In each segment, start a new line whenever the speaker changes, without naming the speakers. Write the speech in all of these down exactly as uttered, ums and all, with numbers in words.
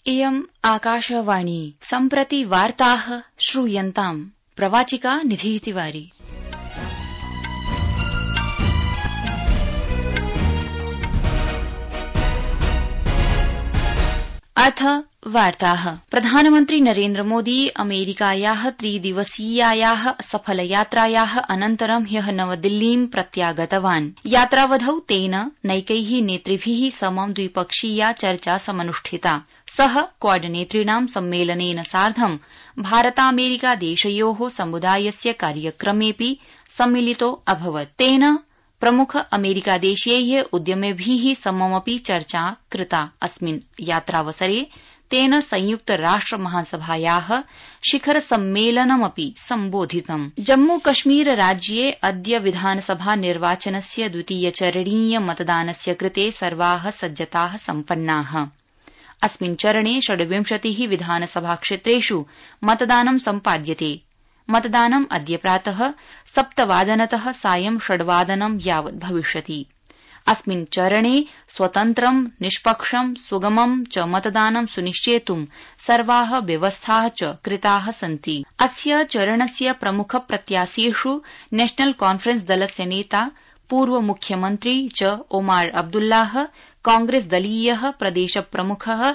इयम् आकाशवाणी सम्प्रति वार्ताः श्रूयन्ताम् प्रवाचिका निधि तिवारी। अथ वार्ताः। प्रधानमन्त्री नरेन्द्र मोदी अमेरिकायाः त्रिदिवसीयायाः सफलयात्रायाः अनन्तरं ह्यः नवदिल्लीं प्रत्यागतवान्। यात्रावधौ तेन नैकैः नेतृभिः समं द्विपक्षीया चर्चा समनुष्ठिता। सः क्वाड नेतृणां सम्मेलनेन सार्धं भारतामेरिका देशयोः समुदायस्य कार्यक्रमेऽपि सम्मिलितो अभवत्। तेन प्रमुख अमेरिकादेशीयैः उद्यमिभिः सममपि चर्चा कृता। अस्मिन् यात्रावसरे तेन संयुक्त राष्ट्र महासभायाः शिखर सम्मेलनमपि सम्बोधितम्। जम्मू कश्मीर राज्ये अद्य विधानसभा निर्वाचनस्य द्वितीयचरणीय मतदानस्य कृते सर्वाः सज्जताः सम्पन्नाः। अस्मिन् चरणे षड्विंशतिः विधानसभाक्षेत्रेषु मतदानं सम्पाद्यते। मतदानम् अद्य प्रातः सप्तवादनतः सायं षड्वादनं यावत् भविष्यति। अस्मिन् चरणे स्वतन्त्रं निष्पक्षं सुगमं च मतदानं सुनिश्चेतुं सर्वाः व्यवस्थाः च कृताः सन्ति। अस्य चरणस्य प्रमुख प्रत्याशीषु नेशनल कॉन्फ्रेंस दलस्य नेता पूर्व मुख्यमन्त्री च ओमार अब्दुल्लाह, कांग्रेस दलीयः प्रदेश प्रमुखः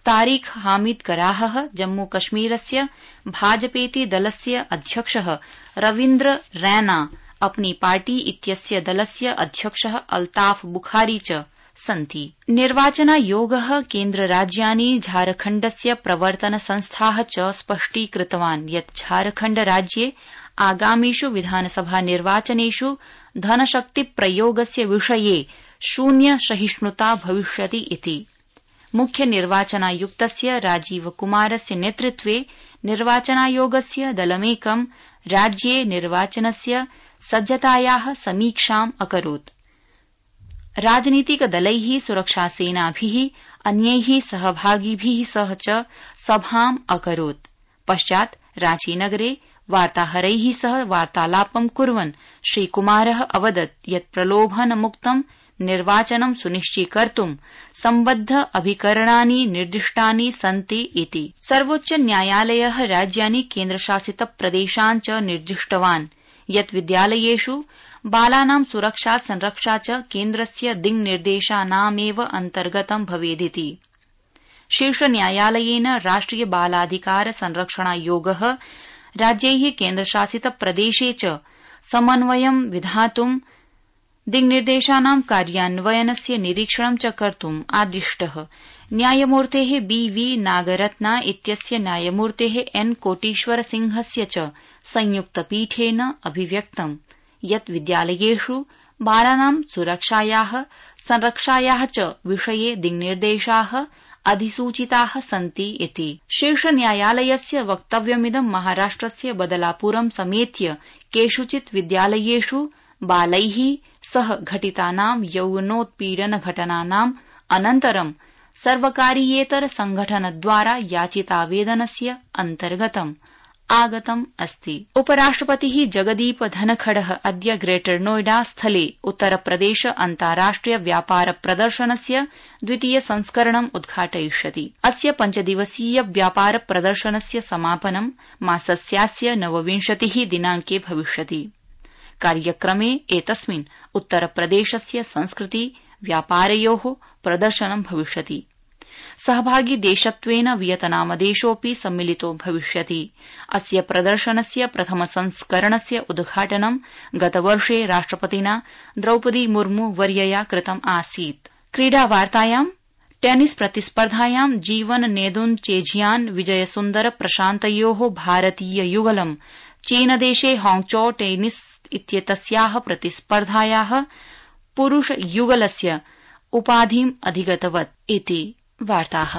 तारिक हामिद कराहः, जम्मू कश्मीरस्य भाजपेति दलस्य अध्यक्षः रवीन्द्र रैना, अपनी पार्टी इत्यस्य दलस्य अध्यक्षः अल्ताफ बुखारी च सन्ति। निर्वाचनायोगः केन्द्रराज्यानि झारखण्डस्य प्रवर्तन संस्थाः च स्पष्टीकृतवान् यत् झारखण्ड राज्ये आगामिषु विधानसभा निर्वाचनेषु धनशक्तिप्रयोगस्य विषये शून्य सहिष्णुता भविष्यति इति। मुख्य निर्वाचनायुक्तस्य राजीव कुमारस्य नेतृत्वे निर्वाचनायोगस्य दलमेकं राज्ये निर्वाचनस्य सज्जतायाः समीक्षाम् अकरोत्। राजनीतिकदलैः, सुरक्षासेनाभिः, अन्यैः सहभागिभिः सह च सभाम् अकरोत्। पश्चात् रांचीनगरे वार्ताहरैः सह वार्तालापं कुर्वन् श्रीकुमारः अवदत् यत् प्रलोभनमुक्तं निर्वाचनं सुनिश्चीकर्तुं सम्बद्ध अभिकरणानि निर्दिष्टानि सन्ति इति। सर्वोच्च न्यायालयः राज्यानि केन्द्रशासित प्रदेशान् च निर्दिष्टवान् यत् विद्यालयेषु बालानां सुरक्षा संरक्षा च केन्द्रस्य दिङ्निर्देशानामेव अन्तर्गतं भवेदिति। शीर्षन्यायालयेन राष्ट्रिय बालाधिकार संरक्षणायोगः राज्यैः केन्द्रशासित प्रदेशे च समन्वयं विधातुं दिङ्निर्देशानां कार्यान्वयनस्य निरीक्षणं च कर्तुम् आदिष्टः। न्यायमूर्तेः बी वी नागरत्ना इत्यस्य न्यायमूर्तेः एन कोटीश्वर सिंहस्य च संयुक्तपीठेन अभिव्यक्तं यत् विद्यालयेषु बालानां सुरक्षायाः संरक्षायाः च विषये दिङ्निर्देशाः अधिसूचिताः सन्ति इति। शीर्षन्यायालयस्य वक्तव्यमिदं महाराष्ट्रस्य बदलापुरं समेत्य केषुचित् विद्यालयेषु बालैः सह घटितानां यौवनोत्पीडन घटनानाम् अनन्तरं सर्वकारीयेतर संघटनद्वारा याचितावेदनस्य अन्तर्गतम् आगतम् अस्ति। उपराष्ट्रपतिः जगदीप धनखडः अद्य ग्रेटर नोएडा स्थले उत्तरप्रदेश अन्ताराष्ट्रिय व्यापार प्रदर्शनस्य द्वितीय संस्करणम् उद्घाटयिष्यति। अस्य पञ्चदिवसीय व्यापार प्रदर्शनस्य समापनं मासस्यास्य नवविंशतिः दिनाङ्के भविष्यति। कार्यक्रमे एतस्मिन् उत्तरप्रदेशस्य संस्कृति व्यापारयोः प्रदर्शनं भविष्यति। सहभागी देशत्वेन वियतनामदेशोऽपि सम्मिलितो भविष्यति। अस्य प्रदर्शनस्य प्रथम संस्करणस्य उद्घाटनं गतवर्षे राष्ट्रपतिना द्रौपदी मुर्मू वर्यया कृतम् आसीत्। क्रीडावार्तायां टेनिस प्रतिस्पर्धायां जीवन नेदुनचेझियान विजयसुन्दर प्रशान्तयोः भारतीय युगलं चीनदेशे हांगझौ टेनिस इत्येतस्याः प्रतिस्पर्धायाः पुरुष युगलस्य उपाधिम् अधिगतवत् इति वार्ताः।